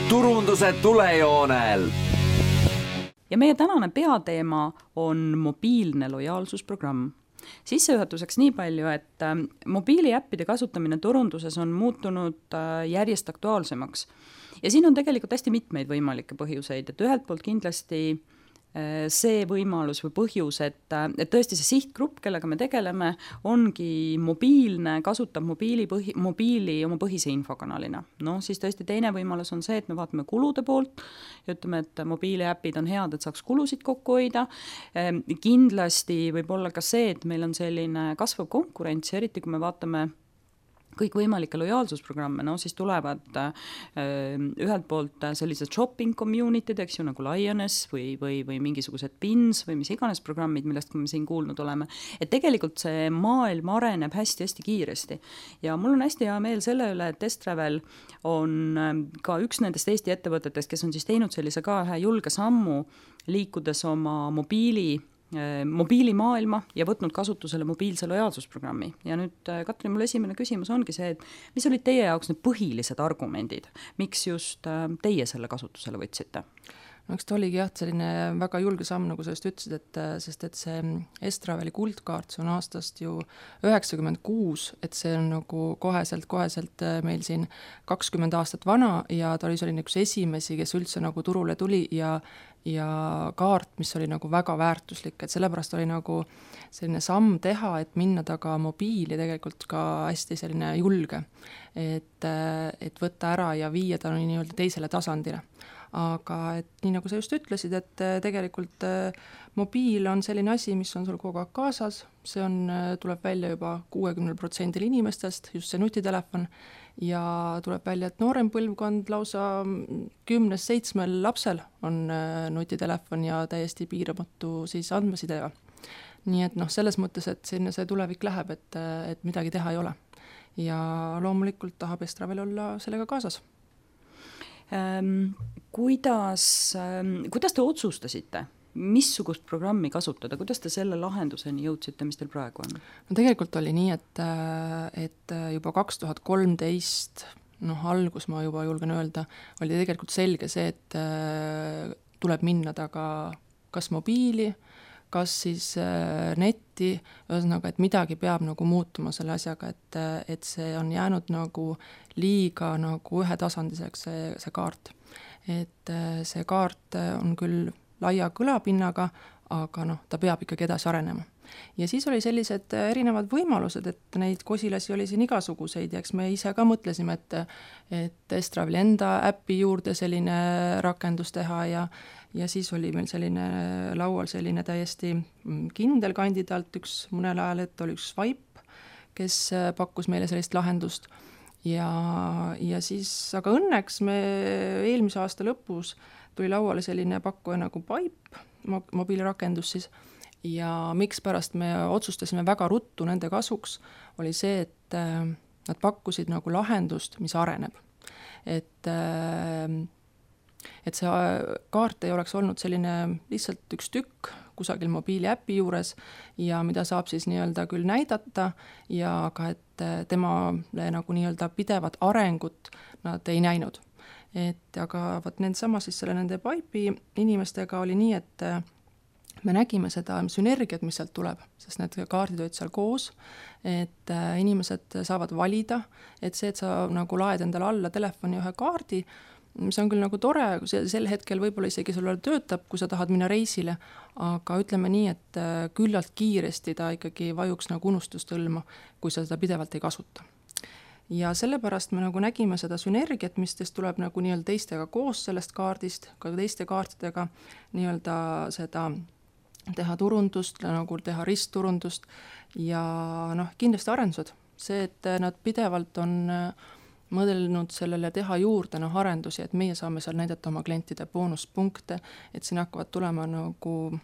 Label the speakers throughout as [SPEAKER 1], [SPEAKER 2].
[SPEAKER 1] turunduse tulejoonel.
[SPEAKER 2] Ja meie tänane peateema on mobiilne lojaalsusprogramm. Sissejuhatuseks nii palju, et mobiiliäppide kasutamine turunduses on muutunud järjest aktuaalsemaks. Ja siin on tegelikult hästi mitmeid võimalikke põhjuseid, et ühelt poolt kindlasti see võimalus või põhjus, et tõesti see sihtgrupp, kellega me tegeleme, ongi mobiilne, kasutab mobiili oma põhise infokanalina. No siis tõesti teine võimalus on see, et me vaatame kulude poolt ja ütleme, et mobiiliäpid on head, et saaks kulusid kokku hoida. Kindlasti võib olla ka see, et meil on selline kasvav konkurents, eriti kui me vaatame kõik võimalikke lojaalsusprogramme, no siis tulevad ühelt poolt sellised shopping community'd, eks ju, nagu Lioness või mingisugused Pins või mis iganes programmid, millest me siin kuulnud oleme. Et tegelikult see maailm areneb hästi-hästi kiiresti. Ja mul on hästi hea meel selle üle, et Estravel on ka üks nendest Eesti ettevõtetest, kes on siis teinud sellise ka ühe julge sammu, liikudes oma mobiilimaailma ja võtnud kasutusele mobiilse lojaalsusprogrammi. Ja nüüd, Katrin, mul esimene küsimus ongi see, et mis olid teie jaoks need põhilised argumendid, miks just teie selle kasutusele võtsite?
[SPEAKER 3] No eks ta oligi selline väga julge samm, nagu sa just ütlesid, sest et see Estraveli kuldkaart, see on aastast ju 96, et see on nagu koheselt meil siin 20 aastat vana ja ta oli selline üks esimesi, kes üldse nagu turule tuli ja kaart, mis oli nagu väga väärtuslik, et sellepärast oli nagu selline samm teha, et minna taga mobiili tegelikult ka hästi selline julge, et võtta ära ja viia ta nii-öelda teisele tasandile. Aga et nii nagu sa just ütlesid, et tegelikult mobiil on selline asi, mis on sul kogu aeg kaasas, see tuleb välja juba 60% inimestest, just see nutitelefon, ja tuleb välja, et noorem põlvkond lausa 10-7 lapsel on nutitelefon ja täiesti piiramatu siis andmesidega. Nii et selles mõttes, et sinna see tulevik läheb, et midagi teha ei ole. Ja loomulikult tahab Estravel olla sellega kaasas.
[SPEAKER 2] Kuidas te otsustasite, missugust programmi kasutada, kuidas te selle lahenduseni jõudsite, mis teil praegu on?
[SPEAKER 3] No tegelikult oli nii, et juba 2013, algus ma juba julgen öelda, oli tegelikult selge see, et tuleb minna taga kas mobiili, kas siis netti, ühesõnaga, et midagi peab nagu muutuma selle asjaga, et see on jäänud nagu liiga nagu ühetasandiseks see kaart. Et see kaart on küll laia kõlapinnaga, aga ta peab ikkagi edasi arenema. Ja siis oli sellised erinevad võimalused, et neid kosilasi oli siin igasuguseid ja eks me ise ka mõtlesime, et Estraveli enda äppi juurde selline rakendus teha ja siis oli meil selline laual selline täiesti kindel kandidaat, üks mõnel ajal, et oli üks Swipe, kes pakkus meile sellist lahendust ja siis, aga õnneks me eelmise aasta lõpus tuli lauale selline pakkuja nagu Pipe, mobiilirakendus siis, ja miks pärast me otsustasime väga ruttu nende kasuks, oli see, et nad pakkusid nagu lahendust, mis areneb. Et see kaart ei oleks olnud selline lihtsalt üks tükk kusagil mobiiliäpi juures ja mida saab siis nii-öelda küll näidata ja ka, et temale nagu nii-öelda pidevat arengut nad ei näinud. Aga nende siis nende Pipe'i inimestega oli nii, et me nägime seda sünergiat, mis sealt tuleb, sest need kaardid olid seal koos, et inimesed saavad valida, et see, et sa nagu laed endale alla telefoni ühe kaardi, see on küll nagu tore, sel hetkel võib-olla isegi sul töötab, kui sa tahad minna reisile, aga ütleme nii, et küllalt kiiresti ta ikkagi vajuks nagu unustustõlma, kui sa seda pidevalt ei kasuta. Ja sellepärast me nagu nägime seda sünergiat, mis tuleb nagu nii-öelda teistega koos sellest kaardist, ka teiste kaartidega nii-öelda seda teha turundust, nagu teha ristturundust ja kindlasti arendused. See, et nad pidevalt on mõdelnud sellele teha juurde arendusi, et meie saame seal näidata oma klientide boonuspunkte, et siin hakkavad tulema nagu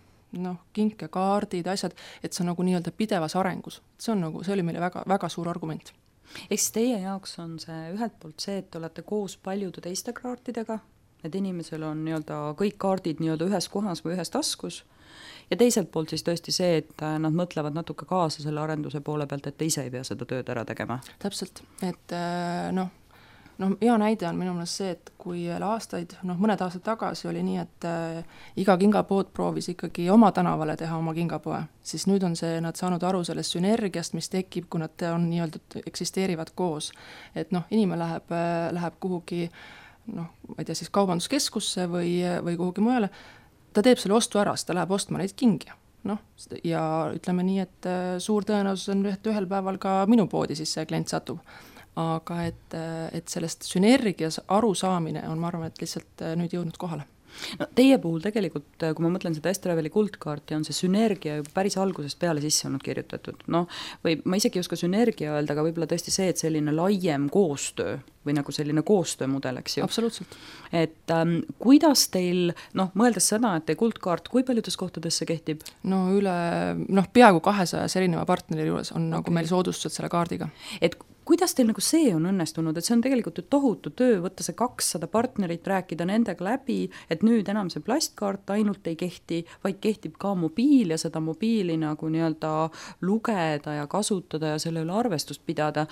[SPEAKER 3] kinkekaardid, asjad, et see on nagu nii-öelda pidevas arengus. See oli meile väga, väga suur argument.
[SPEAKER 2] Eks teie jaoks on see ühelt poolt see, et olete koos paljude teiste kaartidega, et inimesel on nii-öelda kõik kaardid nii-öelda ühes kohas või ühes taskus ja teiselt poolt siis tõesti see, et nad mõtlevad natuke kaasa selle arenduse poole pealt, et te ise ei pea seda tööd ära tegema.
[SPEAKER 3] Täpselt, et noh, hea näide on minu meelest see, et kui aastaid, mõned aastad tagasi oli nii, et iga kingapood proovis ikkagi oma tänavale teha oma kingapoe, siis nüüd on nad saanud aru sellest sünergiast, mis tekib, kui nad on eksisteerivad koos. Et inimene läheb kuhugi, ma ei tea, siis kaubanduskeskusse või kuhugi mujale, ta teeb selle ostu ära, ta läheb ostma neid kingi. Ja ütleme nii, et suur tõenäosus on, et ühel päeval ka minu poodi siis see klient satub. Aga et sellest sünergias arusaamine on, ma arvan, et lihtsalt nüüd jõudnud kohale.
[SPEAKER 2] No, teie puhul tegelikult, kui ma mõtlen seda S-Traveli kuldkaarti, on see sünergia juba päris algusest peale sisse olnud kirjutatud. Või ma isegi ei oska sünergia öelda, aga võib-olla tõesti see, et selline laiem koostöö või nagu selline koostöömudel, eks ju.
[SPEAKER 3] Absoluutselt.
[SPEAKER 2] Et kuidas teil, mõeldes seda, et teie kuldkaart, kui paljudes kohtades see kehtib?
[SPEAKER 3] Peaaegu 200 erineva partneri juures on nagu meil soodustused selle kaardiga.
[SPEAKER 2] Et kuidas teil nagu see on õnnestunud, et see on tegelikult ju tohutu töö, võtta see 200 partnerit, rääkida nendega läbi, et nüüd enam see plastkaart ainult ei kehti, vaid kehtib ka mobiil ja seda mobiili nagu lugeda ja kasutada ja selle üle arvestust pidada.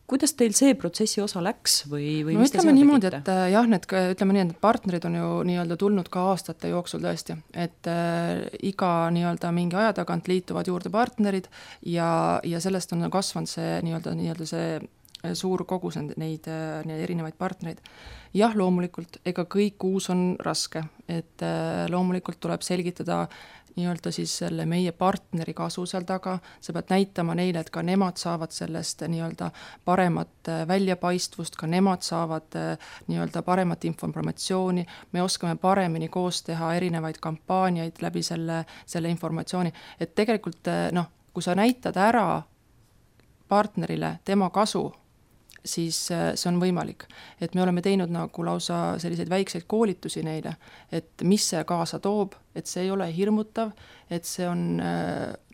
[SPEAKER 2] Kuidas teil see protsessi osa läks või mis te seal
[SPEAKER 3] niimoodi,
[SPEAKER 2] tegite?
[SPEAKER 3] Et jah, ütleme nii, et partnerid on ju tulnud ka aastate jooksul tõesti, et iga mingi aja tagant liituvad juurde partnerid ja sellest on kasvanud see see suur kogus neid erinevaid partnereid. Jah, loomulikult, ega kõik uus on raske, et loomulikult tuleb selgitada siis selle meie partneri kasu seal taga, sa pead näitama neile, et ka nemad saavad sellest paremat väljapaistvust, ka nemad saavad paremat informatsiooni, me oskame paremini koos teha erinevaid kampaaniaid läbi selle informatsiooni, et tegelikult kui sa näitad ära partnerile tema kasu, siis see on võimalik. Et me oleme teinud nagu lausa selliseid väikseid koolitusi neile, et mis see kaasa toob, et see ei ole hirmutav, et see on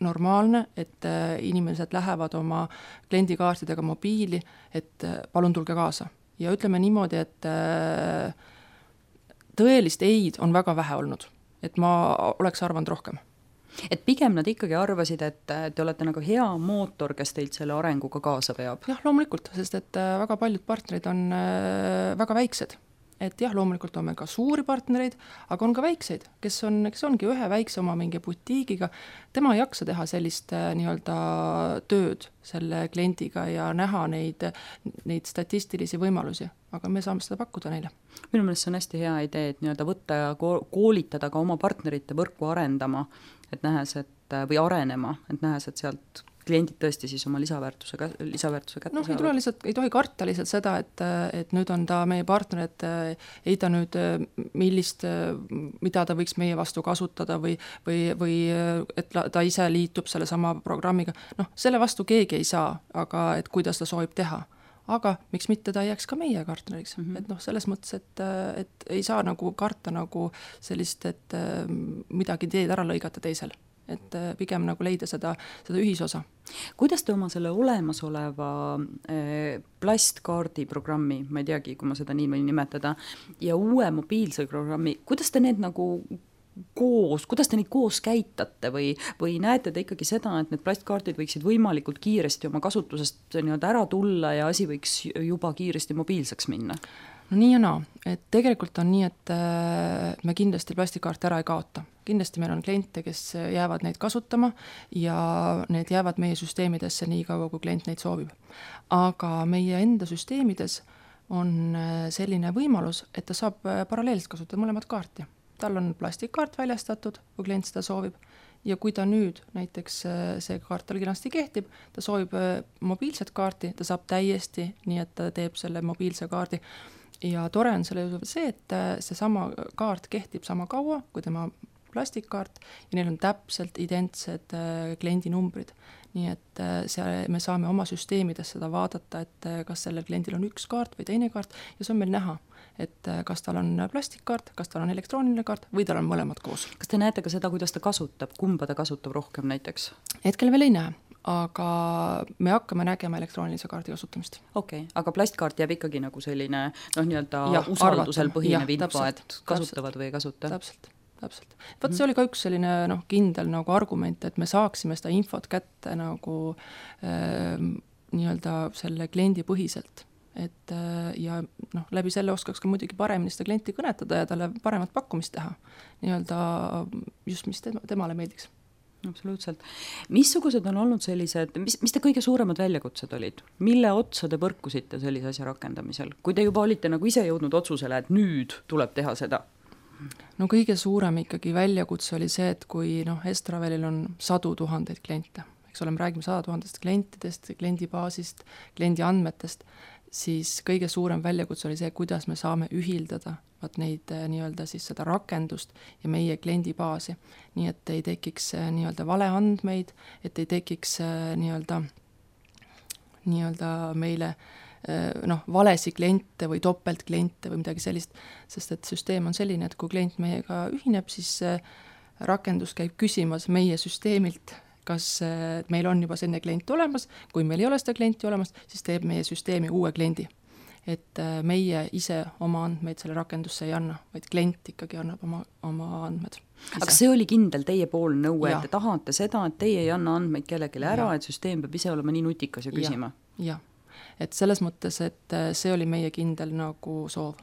[SPEAKER 3] normaalne, et inimesed lähevad oma kliendikaartidega mobiili, et palun tulge kaasa. Ja ütleme niimoodi, et tõelist eid on väga vähe olnud, et ma oleks arvanud rohkem.
[SPEAKER 2] Et pigem nad ikkagi arvasid, et te olete nagu hea mootor, kes teilt selle arenguga kaasa veab?
[SPEAKER 3] Jah, loomulikult, sest et väga paljud partnerid on väga väiksed. Et jah, loomulikult on meil ka suuri partnereid, aga on ka väikseid, kes ongi ühe väikse oma mingi butiigiga. Tema ei jaksa teha sellist tööd selle kliendiga ja näha neid statistilisi võimalusi, aga me saame seda pakkuda neile.
[SPEAKER 2] Minu meelest see on hästi hea idee, et võtta ja koolitada ka oma partnerite võrku arendama, et nähes, või arenema, et nähes, et sealt kliendid tõesti siis oma lisaväärtuse kätte saavad.
[SPEAKER 3] Ei tohi karta lihtsalt seda, et nüüd on ta meie partner, et ei ta nüüd mida ta võiks meie vastu kasutada või et ta ise liitub selle sama programmiga. Selle vastu keegi ei saa, aga et kuidas ta soovib teha. Aga miks mitte ta jääks ka meie partneriks. Et selles mõttes, et ei saa nagu karta nagu sellist, et midagi teed ära lõigata teisel. Et pigem nagu leida seda ühisosa.
[SPEAKER 2] Kuidas te oma selle olemasoleva plastkaardi programmi, ma ei teagi, kui ma seda nii võin nimetada, ja uue mobiilse programmi, kuidas te need nagu kuidas te neid koos käitate või näete te ikkagi seda, et need plastkaardid võiksid võimalikult kiiresti oma kasutusest ära tulla ja asi võiks juba kiiresti mobiilseks minna?
[SPEAKER 3] Nii ja naa, et tegelikult on nii, et me kindlasti plastikaarte ära ei kaota. Kindlasti meil on kliente, kes jäävad neid kasutama ja need jäävad meie süsteemidesse nii kaua, kui klient neid soovib. Aga meie enda süsteemides on selline võimalus, et ta saab paralleelselt kasutada mõlemat kaarti. Tal on plastikkaart väljastatud, kui klient seda soovib. Ja kui ta nüüd, näiteks see kaart tal kenasti kehtib, ta soovib mobiilset kaarti, ta saab täiesti, nii et ta teeb selle mobiilse kaardi. Ja tore on selle see, et see sama kaart kehtib sama kaua kui tema plastikkaart ja neil on täpselt identsed kliendinumbrid. Nii et me saame oma süsteemides seda vaadata, et kas sellel kliendil on üks kaart või teine kaart ja see on meil näha, et kas tal on plastikkaart, kas tal on elektrooniline kaart või tal on mõlemad koos.
[SPEAKER 2] Kas te näete ka seda, kuidas ta kasutab, kumba ta kasutab rohkem näiteks?
[SPEAKER 3] Hetkel veel ei näe, aga me hakkame nägema elektroonilise kaardi kasutamist.
[SPEAKER 2] Okei, aga plastkaart jääb ikkagi nagu selline usaldusel põhinev info, et kasutavad või ei kasuta?
[SPEAKER 3] Täpselt. Võt see oli ka üks selline kindel nagu argument, et me saaksime seda infot kätte nagu selle kliendi põhiselt. et ja noh, läbi selle oskaks ka muidugi paremini seda klienti kõnetada ja talle paremat pakkumist teha, nii-öelda just, mis temale meeldiks.
[SPEAKER 2] Absoluutselt. Missugused on olnud sellised, mis te kõige suuremad väljakutsed olid? Mille otsa te põrkusite sellise asja rakendamisel? Kui te juba olite nagu ise jõudnud otsusele, et nüüd tuleb teha seda?
[SPEAKER 3] No kõige suurem ikkagi väljakutse oli see, et kui Estravelil on 100 000 kliente, eks ole, me räägime 100 000 klientidest, kliendibaasist, kliendi andmetest, siis kõige suurem väljakutse oli see, kuidas me saame ühildada neid nii-öelda siis seda rakendust ja meie kliendibaasi, nii et ei tekiks nii-öelda valeandmeid, et ei tekiks nii-öelda meile valesi kliente või topeltkliente või midagi sellist, sest et süsteem on selline, et kui klient meiega ühineb, siis rakendus käib küsimas meie süsteemilt, kas meil on juba selline klient olemas, kui meil ei ole seda klienti olemas, siis teeb meie süsteemi uue kliendi. Et meie ise oma andmeid selle rakendusse ei anna, vaid klient ikkagi annab oma andmed.
[SPEAKER 2] Aga see oli kindel teie pool nõue, et te tahate seda, et teie ei anna andmeid kellelegi ära, et süsteem peab ise olema nii nutikas ja küsima?
[SPEAKER 3] Ja. Et selles mõttes, et see oli meie kindel nagu soov.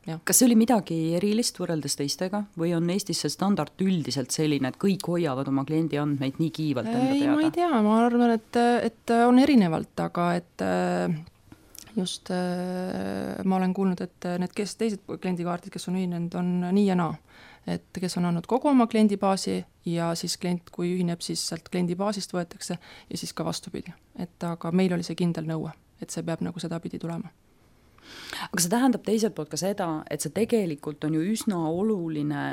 [SPEAKER 2] Kas see oli midagi erilist võrreldes teistega või on Eestis see standard üldiselt selline, et kõik hoiavad oma kliendi andmeid nii kiivalt enda teada?
[SPEAKER 3] Ma ei tea, ma arvan, et on erinevalt, aga et just ma olen kuulnud, et need teised kliendikaardid, kes on ühinenud, on nii ja naa. Et kes on andnud kogu oma kliendibaasi ja siis klient, kui ühineb, siis sealt kliendibaasist võetakse ja siis ka vastupidi. Et aga meil oli see kindel nõue, et see peab nagu seda pidi tulema.
[SPEAKER 2] Aga see tähendab teiselt poolt ka seda, et see tegelikult on ju üsna oluline,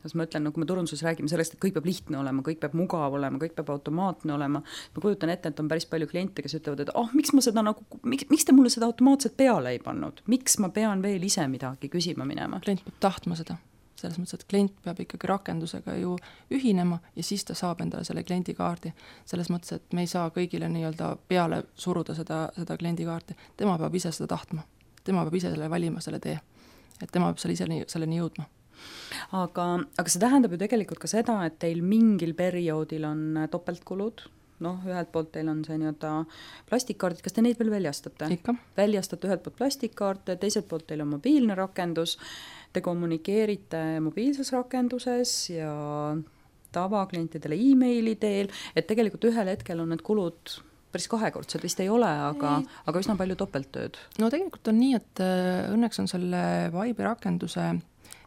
[SPEAKER 2] ma ütlen, kui me turunduses räägime sellest, et kõik peab lihtne olema, kõik peab mugav olema, kõik peab automaatne olema. Ma kujutan ette, et on päris palju kliente, kes ütlevad, et miks te mulle seda automaatselt peale ei pannud? Miks ma pean veel ise midagi küsima minema?
[SPEAKER 3] Klient peab tahtma seda. Selles mõttes, et klient peab ikkagi rakendusega ju ühinema ja siis ta saab endale selle kliendikaardi. Selles mõttes, et me ei saa kõigile nii-öelda peale suruda seda kliendikaarti. Tema peab ise seda tahtma. Tema peab ise selle valima, selle tee. Et tema peab selleni jõudma.
[SPEAKER 2] Aga see tähendab ju tegelikult ka seda, et teil mingil perioodil on topeltkulud. Ühelt poolt teil on see nii-öelda plastikkaardid. Kas te neid veel väljastate?
[SPEAKER 3] Ikka.
[SPEAKER 2] Väljastate ühelt poolt plastikkaarte, teiselt poolt teil on mobiilne rakendus. Te kommunikeerite mobiilses rakenduses ja tavaklientidele e-maili teel, et tegelikult ühel hetkel on need kulud päris kahekordsed vist ei ole, aga üsna palju topelttööd.
[SPEAKER 3] No tegelikult on nii, et õnneks on selle Vibe'i rakenduse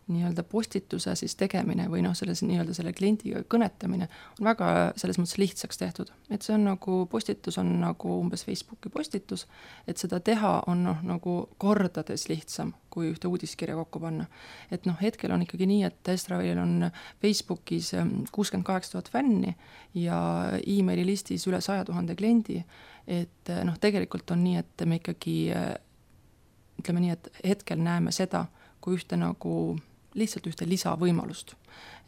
[SPEAKER 3] nii-öelda postituse siis tegemine või selle kliendiga kõnetamine on väga selles mõttes lihtsaks tehtud. Et see on nagu postitus on nagu umbes Facebooki postitus, et seda teha on nagu kordades lihtsam kui ühte uudiskirja kokku panna. Et hetkel on ikkagi nii, et Estravelil on Facebookis 68 000 fänni ja e-maili listis üle 100 000 kliendi. Et tegelikult on nii, et me ikkagi ütleme nii, et hetkel näeme seda kui ühte nagu lihtsalt ühte lisavõimalust.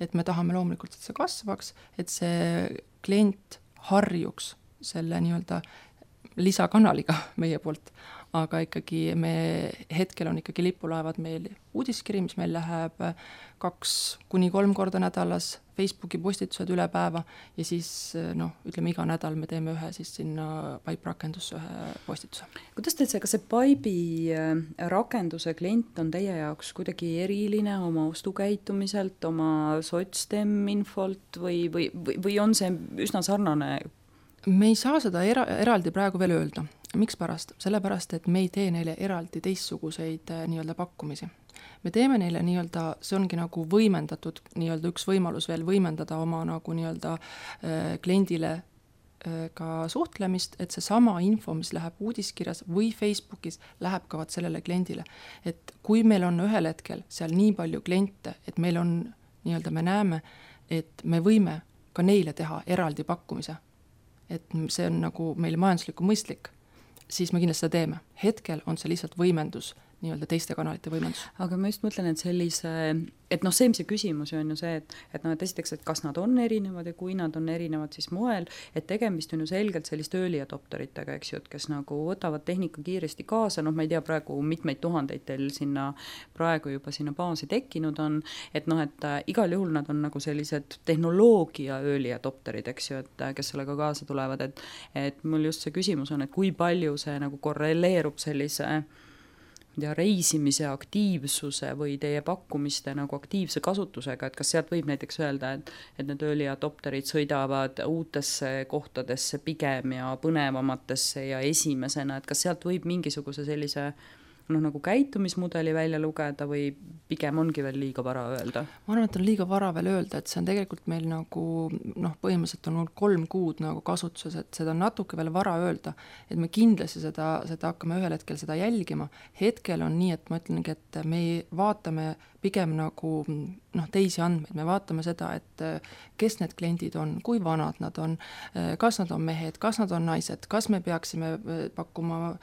[SPEAKER 3] Et me tahame loomulikult, et see kasvaks, et see klient harjuks selle nii-öelda lisakanaliga meie poolt, aga ikkagi me hetkel on ikkagi lipulaevad meil uudiskiri, mis meil läheb 2-3 korda nädalas, Facebooki postitused üle päeva ja siis ütleme iga nädal me teeme ühe siis sinna Pipe rakendusse ühe postituse.
[SPEAKER 2] Kuidas teed see, kas see Pipe'i rakenduse klient on teie jaoks kuidagi eriline oma ostukäitumiselt, oma sotstem infolt või on see üsna sarnane?
[SPEAKER 3] Me ei saa seda eraldi praegu veel öelda. Miks pärast? Sellepärast, et me ei tee neile eraldi teistsuguseid nii-öelda pakkumisi. Me teeme neile nii-öelda, see ongi nagu võimendatud, nii-öelda üks võimalus veel võimendada oma nagu nii-öelda kliendile ka suhtlemist, et see sama info, mis läheb uudiskirjas või Facebookis, läheb ka sellele kliendile. Et kui meil on ühel hetkel seal nii palju kliente, et meil on nii-öelda, me näeme, et me võime ka neile teha eraldi pakkumise, et see on nagu meil majandusliku mõistlik, siis me kindlasti seda teeme. Hetkel on see lihtsalt võimendus nii-öelda teiste kanalite võimendus.
[SPEAKER 2] Aga ma just mõtlen, et et noh, see küsimus on ju see, et noh, et esiteks, et kas nad on erinevad ja kui nad on erinevad, siis moel, et tegemist on ju selgelt sellist early adopteritega, eks ju, et kes nagu võtavad tehnika kiiresti kaasa, noh, ma ei tea, praegu mitmeid tuhandeid teil praegu juba sinna baasi tekkinud on, et noh, et igal juhul nad on nagu sellised tehnoloogia early adopterid, eks ju, et kes sellega kaasa tulevad, et mul just see küsimus on, et kui palju see nagu korreleerub sellise reisimise aktiivsuse või teie pakkumiste nagu aktiivse kasutusega, et kas sealt võib näiteks öelda, et need early adopterid sõidavad uutesse kohtadesse pigem ja põnevamatesse ja esimesena, et kas sealt võib mingisuguse sellise nagu käitumismudeli välja lugeda või pigem ongi veel liiga vara öelda?
[SPEAKER 3] Ma arvan, et on liiga vara veel öelda, et see on tegelikult meil nagu põhimõtteliselt on 3 kuud nagu kasutuses, et seda on natuke veel vara öelda, et me kindlasti seda hakkame ühel hetkel seda jälgima. Hetkel on nii, et ma ütlengi, et me vaatame pigem nagu teisi andmeid, me vaatame seda, et kes need kliendid on, kui vanad nad on, kas nad on mehed, kas nad on naised, kas me peaksime pakkuma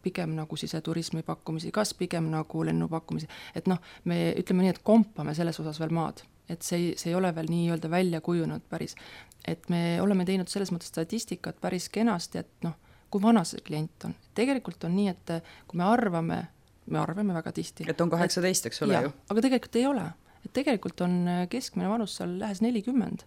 [SPEAKER 3] pigem nagu siseturismi pakkumisi, kas pigem nagu lennupakkumisi, et me ütleme nii, et kompame selles osas veel maad, et see ei ole veel nii-öelda välja kujunud päris, et me oleme teinud selles mõttes statistikat päris kenasti, et kui vana see klient on. Tegelikult on nii, et kui me arvame väga tihti.
[SPEAKER 2] Et on 18, eks ole ju?
[SPEAKER 3] Aga tegelikult ei ole. Et tegelikult on keskmine vanus seal lähes 40.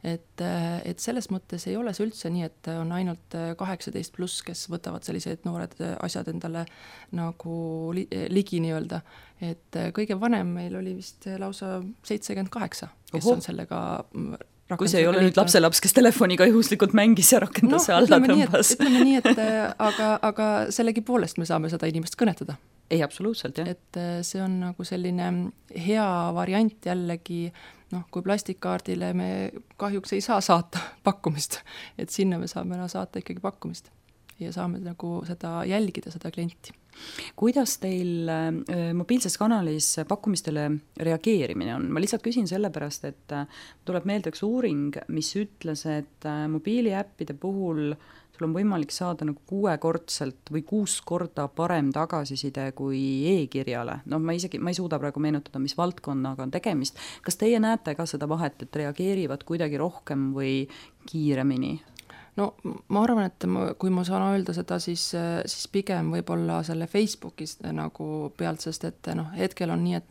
[SPEAKER 3] Et selles mõttes ei ole see üldse nii, et on ainult 18 pluss, kes võtavad sellised noored asjad endale nagu ligi nii-öelda. Et kõige vanem meil oli vist lausa 78, kes on sellega
[SPEAKER 2] kui see ei ole nüüd lapselaps, kes telefoniga juhuslikult mängis ja rakenduse alla tõmbas.
[SPEAKER 3] Ütleme nii, et aga sellegi poolest me saame seda inimest kõnetada.
[SPEAKER 2] Ei, absoluutselt, jah.
[SPEAKER 3] Et see on nagu selline hea variant jällegi, kui plastikkaardile me kahjuks ei saa saata pakkumist, et sinna me saame saata ikkagi pakkumist ja saame nagu seda jälgida, seda klienti.
[SPEAKER 2] Kuidas teil mobiilses kanalis pakkumistele reageerimine on? Ma lihtsalt küsin sellepärast, et tuleb meelde üks uuring, mis ütles, et mobiiliäppide puhul sul on võimalik saada nagu 6-kordselt või 6 korda parem tagasiside kui e-kirjale. Ma ei suuda praegu meenutada, mis valdkonnaga on tegemist. Kas teie näete ka seda vahet, et reageerivad kuidagi rohkem või kiiremini?
[SPEAKER 3] Ma arvan, et kui ma saan öelda seda, siis pigem võib-olla selle Facebookis nagu pealt, sest et hetkel on nii, et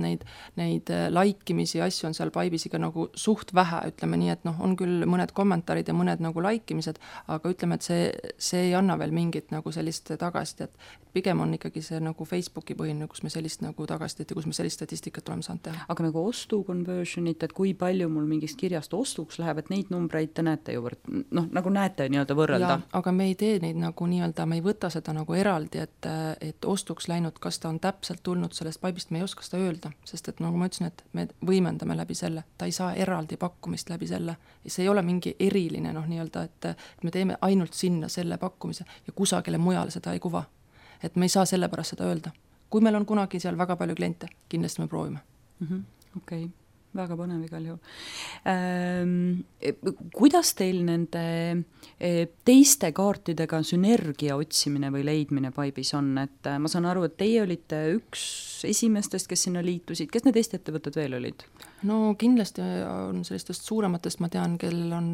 [SPEAKER 3] neid laikimisi asju on seal Pipesiga nagu suht vähe, ütleme nii, et on küll mõned kommentaarid ja mõned nagu laikimised, aga ütleme, et see ei anna veel mingit nagu sellist tagasisidet, et pigem on ikkagi see nagu Facebooki põhine, kus me sellist nagu tagasisidet ja kus me sellist statistikat oleme saanud teha.
[SPEAKER 2] Aga nagu ostu conversionit, et kui palju mul mingist kirjast ostuks läheb, et neid numbreid te näete ju nagu näete nii-öelda võrrelda.
[SPEAKER 3] Aga me ei tee neid nagu nii-öelda, me ei võta seda nagu eraldi, et ostuks läinud, kas ta on täpselt tulnud sellest Pipest, me ei oska seda öelda, sest et nagu ma ütlesin, et me võimendame läbi selle, ta ei saa eraldi pakkumist läbi selle, see ei ole mingi eriline nii-öelda, et me teeme ainult sinna selle pakkumise ja kusagile mujale seda ei kuva, et me ei saa selle pärast seda öelda. Kui meil on kunagi seal väga palju kliente, kindlasti me proovime.
[SPEAKER 2] Okei. Väga põnev igal juhul. Kuidas teil nende teiste kaartidega sünergia otsimine või leidmine Pipes on? Et ma saan aru, et teie olite üks esimestest, kes sinna liitusid. Kes need Eesti ettevõtted veel olid?
[SPEAKER 3] Kindlasti on sellistest suurematest, ma tean, kellel on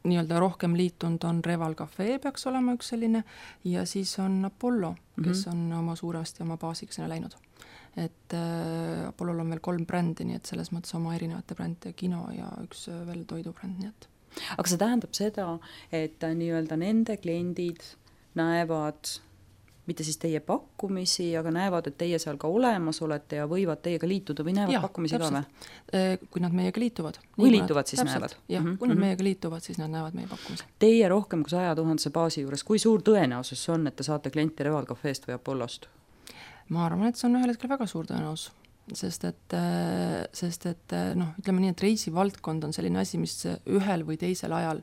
[SPEAKER 3] nii-öelda rohkem liitunud, on Reval Cafe peaks olema üks selline ja siis on Apollo, kes on oma suuresti oma baasiga sinna läinud. Et Apollol on veel 3 brändi, nii et selles mõttes oma erinevate brändide kino ja üks veel toidubränd, nii et.
[SPEAKER 2] Aga see tähendab seda, et nii-öelda nende kliendid näevad mitte siis teie pakkumisi, aga näevad, et teie seal ka olemas olete ja võivad teiega liituda või näevad pakkumisi
[SPEAKER 3] täpselt. Ka või? Kui nad meiega liituvad.
[SPEAKER 2] Kui liituvad, siis näevad?
[SPEAKER 3] Jah, kui nad meiega liituvad, siis nad näevad meie pakkumisi.
[SPEAKER 2] Teie rohkem kui 100 000 baasi juures, kui suur tõenäosus on, et te saate klienti Reval Cafeest või Apollost?
[SPEAKER 3] Ma arvan, et see on ühel hetkel väga suur tõenäos, sest et ütleme nii, et reisivaldkond on selline asi, mis ühel või teisel ajal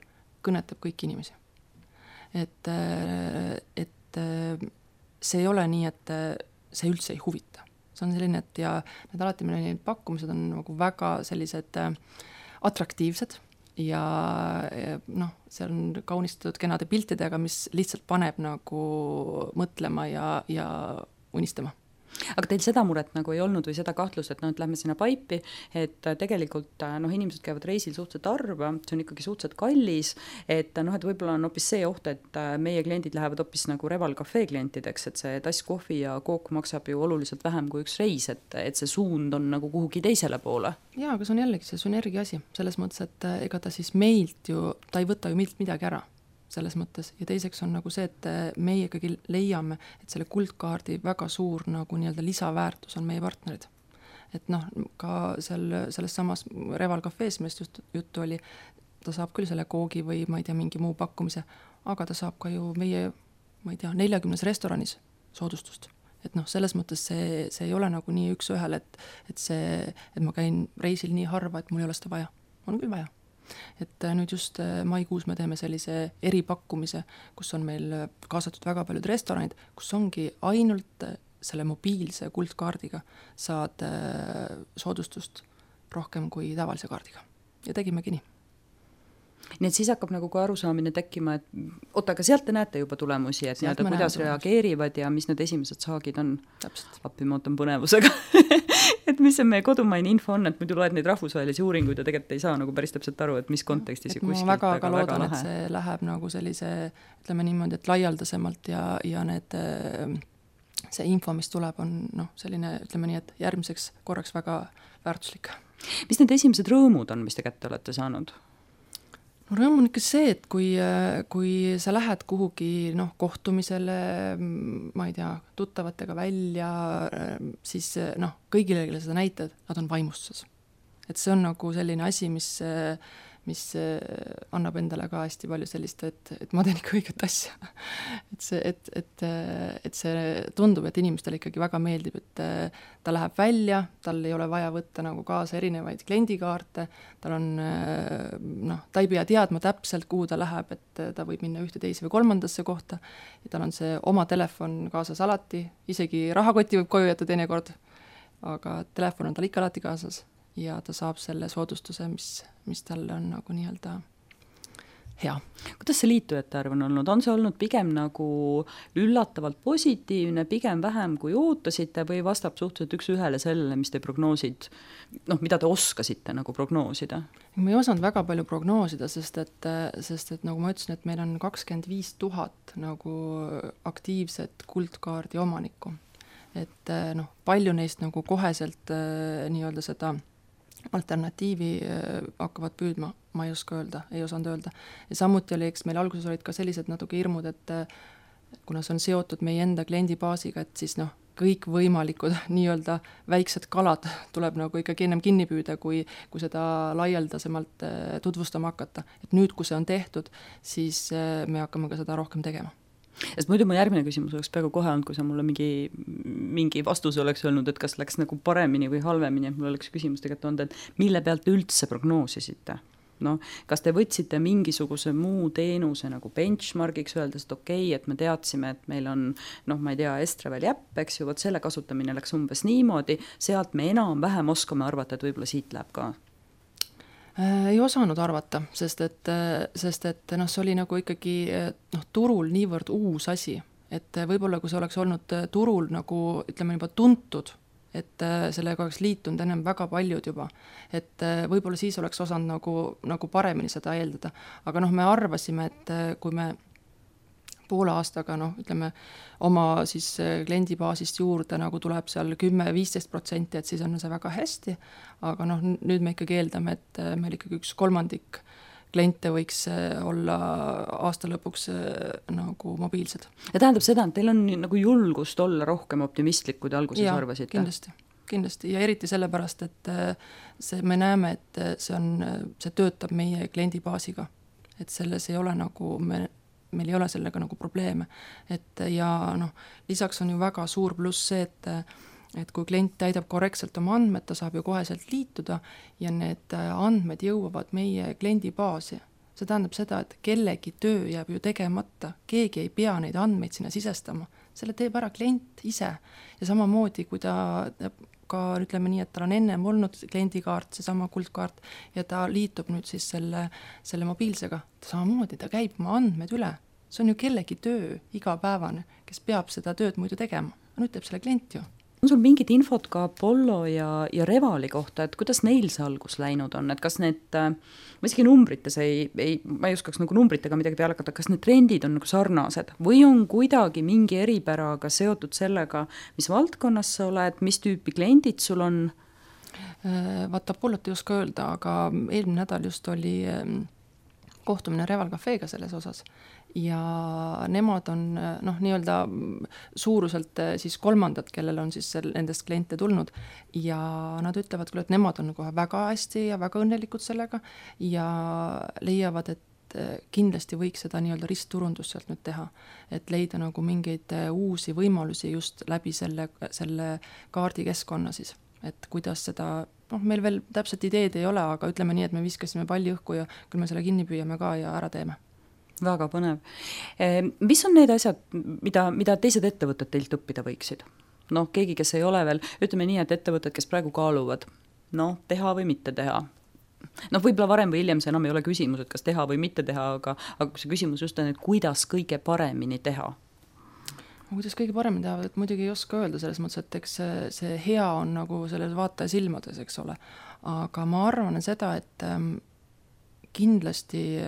[SPEAKER 3] kõnetab kõiki inimesi. Et see ei ole nii, et see üldse ei huvita. See on selline, et ja need alati meil pakkumised on nagu väga sellised atraktiivsed ja seal on kaunistatud kenade piltidega, mis lihtsalt paneb nagu mõtlema ja unistama.
[SPEAKER 2] Aga teil seda muret nagu ei olnud või seda kahtlust, et et lähme sinna paipi, et tegelikult inimesed käivad reisil suhteliselt harva, see on ikkagi suhteliselt kallis, et et võib-olla on hoopis see oht, et meie kliendid lähevad hoopis nagu Reval Cafe klientideks, et see tass kohvi ja kook maksab ju oluliselt vähem kui üks reis, et see suund on nagu kuhugi teisele poole.
[SPEAKER 3] Jaa, aga see on jällegi see sünergia asi, selles mõttes, et ega ta siis meilt ju, ta ei võta ju meilt midagi ära selles mõttes, ja teiseks on nagu see, et meie ikkagi leiame, et selle kuldkaardi väga suur nagu nii-öelda lisaväärtus on meie partnerid. Et ka selles samas Reval Cafe's, millest just juttu oli, ta saab küll selle koogi või ma ei tea, mingi muu pakkumise, aga ta saab ka ju meie, ma ei tea, 40 restoranis soodustust. Et selles mõttes see ei ole nagu nii üks ühel, et ma käin reisil nii harva, et mul ei ole seda vaja. On küll vaja. Et nüüd just maikuus me teeme sellise eripakkumise, kus on meil kaasatud väga paljud restoranid, kus ongi ainult selle mobiilse kuldkaardiga saad soodustust rohkem kui tavalise kaardiga. Ja tegimegi nii.
[SPEAKER 2] Nii et siis hakkab nagu ka arusaamine tekkima, et oota, aga sealt te näete juba tulemusi, et kuidas reageerivad ja mis need esimesed saagid on.
[SPEAKER 3] Täpselt.
[SPEAKER 2] Appi ma ootan põnevusega. Et mis see meie kodumaine info on, et muidu loed neid rahvusvahelisi uuringuid ja tegelikult ei saa nagu päris täpselt aru, et mis kontekstis ja kuskilt.
[SPEAKER 3] Ma väga loodan, et see läheb nagu sellise, ütleme niimoodi, et laialdasemalt ja see info, mis tuleb, on selline, ütleme nii, et järgmiseks korraks väga väärtuslik.
[SPEAKER 2] Mis need esimesed rõõmud on, mis te kätte olete saanud?
[SPEAKER 3] Rõõm on ikka see, et kui sa lähed kuhugi kohtumisele, ma ei tea, tuttavatega välja, siis kõigile, kelle seda näitad, nad on vaimustuses. Et see on nagu selline asi, mis annab endale ka hästi palju sellist, et ma teen ikka õiget asja. Et see tundub, et inimestele ikkagi väga meeldib, et ta läheb välja, tal ei ole vaja võtta nagu kaasa erinevaid kliendikaarte, tal on, ta ei pea teadma täpselt, kuhu ta läheb, et ta võib minna ühte, teise või kolmandasse kohta, ja tal on see oma telefon kaasas alati, isegi rahakoti võib koju jätta teinekord, aga telefon on tal ikka alati kaasas. Ja ta saab selle soodustuse, mis talle on nagu nii-öelda hea.
[SPEAKER 2] Kuidas see liitujate arv on olnud? On see olnud pigem nagu üllatavalt positiivne, pigem vähem kui ootasite või vastab suhteliselt üks ühele sellele, mis te prognoosid, mida te oskasite nagu prognoosida?
[SPEAKER 3] Ma ei osanud väga palju prognoosida, sest et nagu ma ütlesin, et meil on 25 000 nagu aktiivset kuldkaardi omanikku. Et palju neist nagu koheselt nii-öelda seda alternatiivi hakkavad püüdma, ma ei oska öelda, ei osanud öelda. Ja samuti oli, eks meil alguses olid ka sellised natuke hirmud, et kuna see on seotud meie enda kliendibaasiga, et siis kõik võimalikud nii-öelda väiksed kalad tuleb nagu ikkagi ennem kinni püüda, kui seda laialdasemalt tutvustama hakata. Et nüüd, kui see on tehtud, siis me hakkame ka seda rohkem tegema.
[SPEAKER 2] Sest muidu mu järgmine küsimus oleks peaaegu kohe olnud, kui sa mulle mingi vastuse oleks öelnud, et kas läks nagu paremini või halvemini, et mul oleks küsimus tegelikult olnud, et mille pealt üldse prognoosisite? Kas te võtsite mingisuguse muu teenuse nagu benchmarkiks öeldes, et okei, et me teadsime, et meil on, ma ei tea, Estravel jäpp, eks ju, võt selle kasutamine läks umbes niimoodi, sealt me enam-vähem oskame arvata, et võib-olla siit läheb ka.
[SPEAKER 3] Ei osanud arvata, sest et see oli nagu ikkagi turul niivõrd uus asi, et võib-olla kui see oleks olnud turul nagu, ütleme juba tuntud, et sellega oleks liitunud ennem väga paljud juba, et võib-olla siis oleks osanud nagu paremini seda eeldada, aga me arvasime, et kui me poole aastaga, ütleme, oma siis kliendibaasist juurde nagu tuleb seal 10-15%, et siis on see väga hästi, aga nüüd me ikkagi eeldame, et meil ikkagi 1/3 kliente võiks olla aasta lõpuks nagu mobiilsed.
[SPEAKER 2] Ja tähendab seda, et teil on nagu julgust olla rohkem optimistlik, kui te alguses arvasite?
[SPEAKER 3] Kindlasti. Ja eriti sellepärast, et me näeme, et see töötab meie kliendibaasiga. Et selles ei ole nagu meil ei ole sellega nagu probleeme. Ja lisaks on ju väga suur pluss see, et kui klient täidab korrektselt oma andmed, ta saab ju koheselt liituda ja need andmed jõuavad meie kliendibaasi. See tähendab seda, et kellegi töö jääb ju tegemata, keegi ei pea neid andmeid sinna sisestama. Selle teeb ära klient ise ja samamoodi, kui ta ka ütleme nii, et tal on ennem olnud kliendikaart, seesama kuldkaart ja ta liitub nüüd siis selle mobiilsega, samamoodi ta käib oma andmed üle. See on ju kellegi töö igapäevane, kes peab seda tööd muidu tegema. nüüd teeb selle klient ju.
[SPEAKER 2] On sul mingit infot ka Apollo ja Revali kohta, et kuidas neil see algus läinud on, et kas need, ma isegi numbrites ma ei oskaks nagu numbritega midagi peale hakata, kas need trendid on nagu sarnased või on kuidagi mingi eripäraga seotud sellega, mis valdkonnas sa oled, mis tüüpi kliendid sul on?
[SPEAKER 3] Vaata, Apollot ei oska öelda, aga eelmine nädal just oli kohtumine Reval Cafeega selles osas ja nemad on nii-öelda suuruselt siis kolmandad, kellel on siis nendest kliente tulnud ja nad ütlevad küll, et nemad on kohe väga hästi ja väga õnnelikud sellega ja leiavad, et kindlasti võiks seda nii-öelda ristturundust sealt nüüd teha, et leida nagu mingeid uusi võimalusi just läbi selle kaardikeskkonna siis, et kuidas seda, meil veel täpselt ideed ei ole, aga ütleme nii, et me viskasime palli õhku ja küll me selle kinni püüame ka ja ära teeme.
[SPEAKER 2] Väga põnev. Mis on need asjad, mida teised ettevõtted teilt õppida võiksid? Keegi, kes ei ole veel, ütleme nii, et ettevõtted, kes praegu kaaluvad, teha või mitte teha. Võib-olla varem või hiljem see enam ei ole küsimus, et kas teha või mitte teha, aga see küsimus just on, et kuidas kõige paremini teha?
[SPEAKER 3] Kuidas kõige paremini teha, et muidugi ei oska öelda selles mõttes, et eks see hea on nagu selles vaataja silmades, eks ole. Aga ma arvan seda, et kindlasti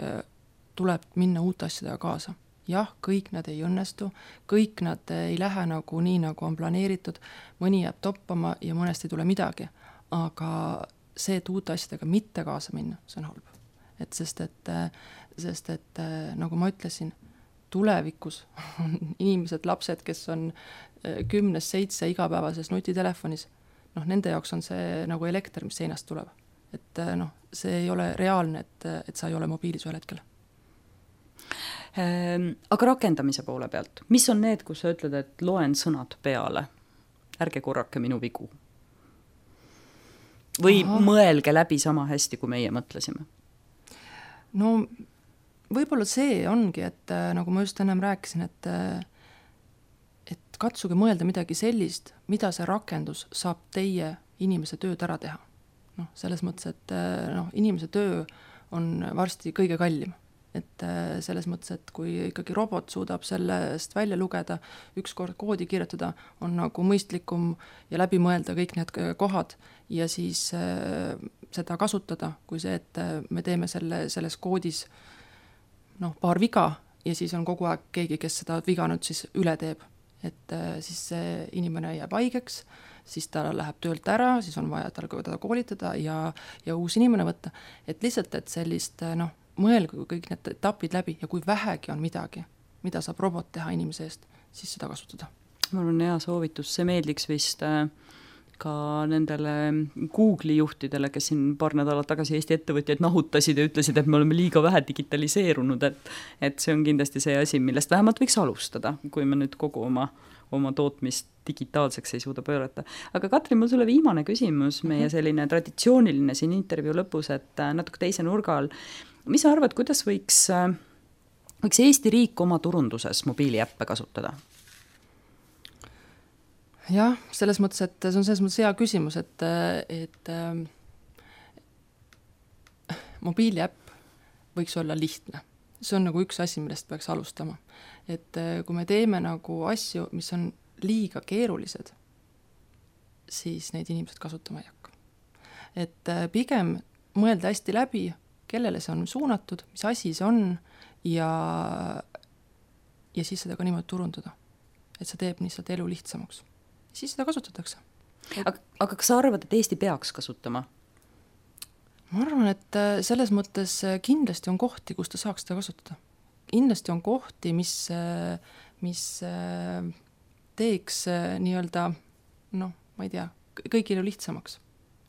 [SPEAKER 3] tuleb minna uute asjadega kaasa. Jah, kõik nad ei õnnestu, kõik nad ei lähe nagu nii, nagu on planeeritud, mõni jääb toppama ja mõnest ei tule midagi, aga see, et uute asjadega mitte kaasa minna, see on halb. Sest et nagu ma ütlesin, tulevikus on inimesed, lapsed, kes on 10-7 igapäevases nutitelefonis, nende jaoks on see nagu elekter, mis seinast tuleb. Et see ei ole reaalne, et sa ei ole mobiilis ühel hetkel.
[SPEAKER 2] Aga rakendamise poole pealt, mis on need, kus sa ütled, et loen sõnad peale, ärge korrake minu vigu? Või mõelge läbi sama hästi, kui meie mõtlesime?
[SPEAKER 3] Võib-olla see ongi, et nagu ma just ennem rääkisin, et katsuge mõelda midagi sellist, mida see rakendus saab teie inimese tööd ära teha. Selles mõttes, et inimese töö on varsti kõige kallim. Et selles mõttes, et kui ikkagi robot suudab sellest välja lugeda, ükskord koodi kirjutada, on nagu mõistlikum ja läbi mõelda kõik need kohad ja siis seda kasutada, kui see, et me teeme selles koodis paar viga ja siis on kogu aeg keegi, kes seda viga nüüd siis üle teeb. Et siis see inimene jääb haigeks, siis ta läheb töölt ära, siis on vaja teda koolitada ja uus inimene võtta. Et lihtsalt, et sellist mõelge kõik need etapid läbi ja kui vähegi on midagi, mida saab robot teha inimese eest, siis seda kasutada.
[SPEAKER 2] Mul on hea soovitus, see meeldiks vist ka nendele Google'i juhtidele, kes siin paar nädalat tagasi Eesti ettevõtjaid nahutasid ja ütlesid, et me oleme liiga vähe digitaliseerunud, et see on kindlasti see asi, millest vähemalt võiks alustada, kui me nüüd kogu oma tootmist digitaalseks ei suuda pöörata. Aga Katrin, mul sulle viimane küsimus, meie selline traditsiooniline siin intervjuu lõpus, et natuke teise nurga all. Mis sa arvad, kuidas võiks Eesti riik oma turunduses mobiiliäppe kasutada?
[SPEAKER 3] Jah, selles mõttes, et see on selles mõttes hea küsimus, et mobiiliäpp võiks olla lihtne. See on nagu üks asi, millest peaks alustama. Et kui me teeme nagu asju, mis on liiga keerulised, siis neid inimesed kasutama ei hakka. Et pigem mõelda hästi läbi, kellele see on suunatud, mis asi see on ja siis seda ka niimoodi turundada. Et see teeb lihtsalt elu lihtsamaks. Siis seda kasutatakse.
[SPEAKER 2] Aga kas sa arvad, et Eesti peaks kasutama?
[SPEAKER 3] Ma arvan, et selles mõttes kindlasti on kohti, kus ta saaks seda kasutada. Kindlasti on kohti, mis teeks nii-öelda, ma ei tea, kõigile lihtsamaks.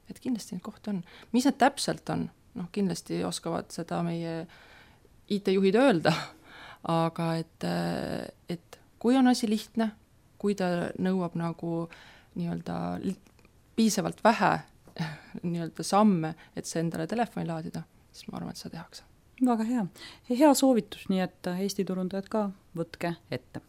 [SPEAKER 3] Et kindlasti neid kohti on. Mis need täpselt on? Kindlasti oskavad seda meie IT-juhid öelda, aga et kui on asi lihtne, kui ta nõuab nagu nii-öelda piisavalt vähe nii-öelda samme, et see endale telefoni laadida, siis ma arvan, et seda tehakse.
[SPEAKER 2] Väga hea. Hea soovitus, nii et Eesti turundajad ka võtke ette.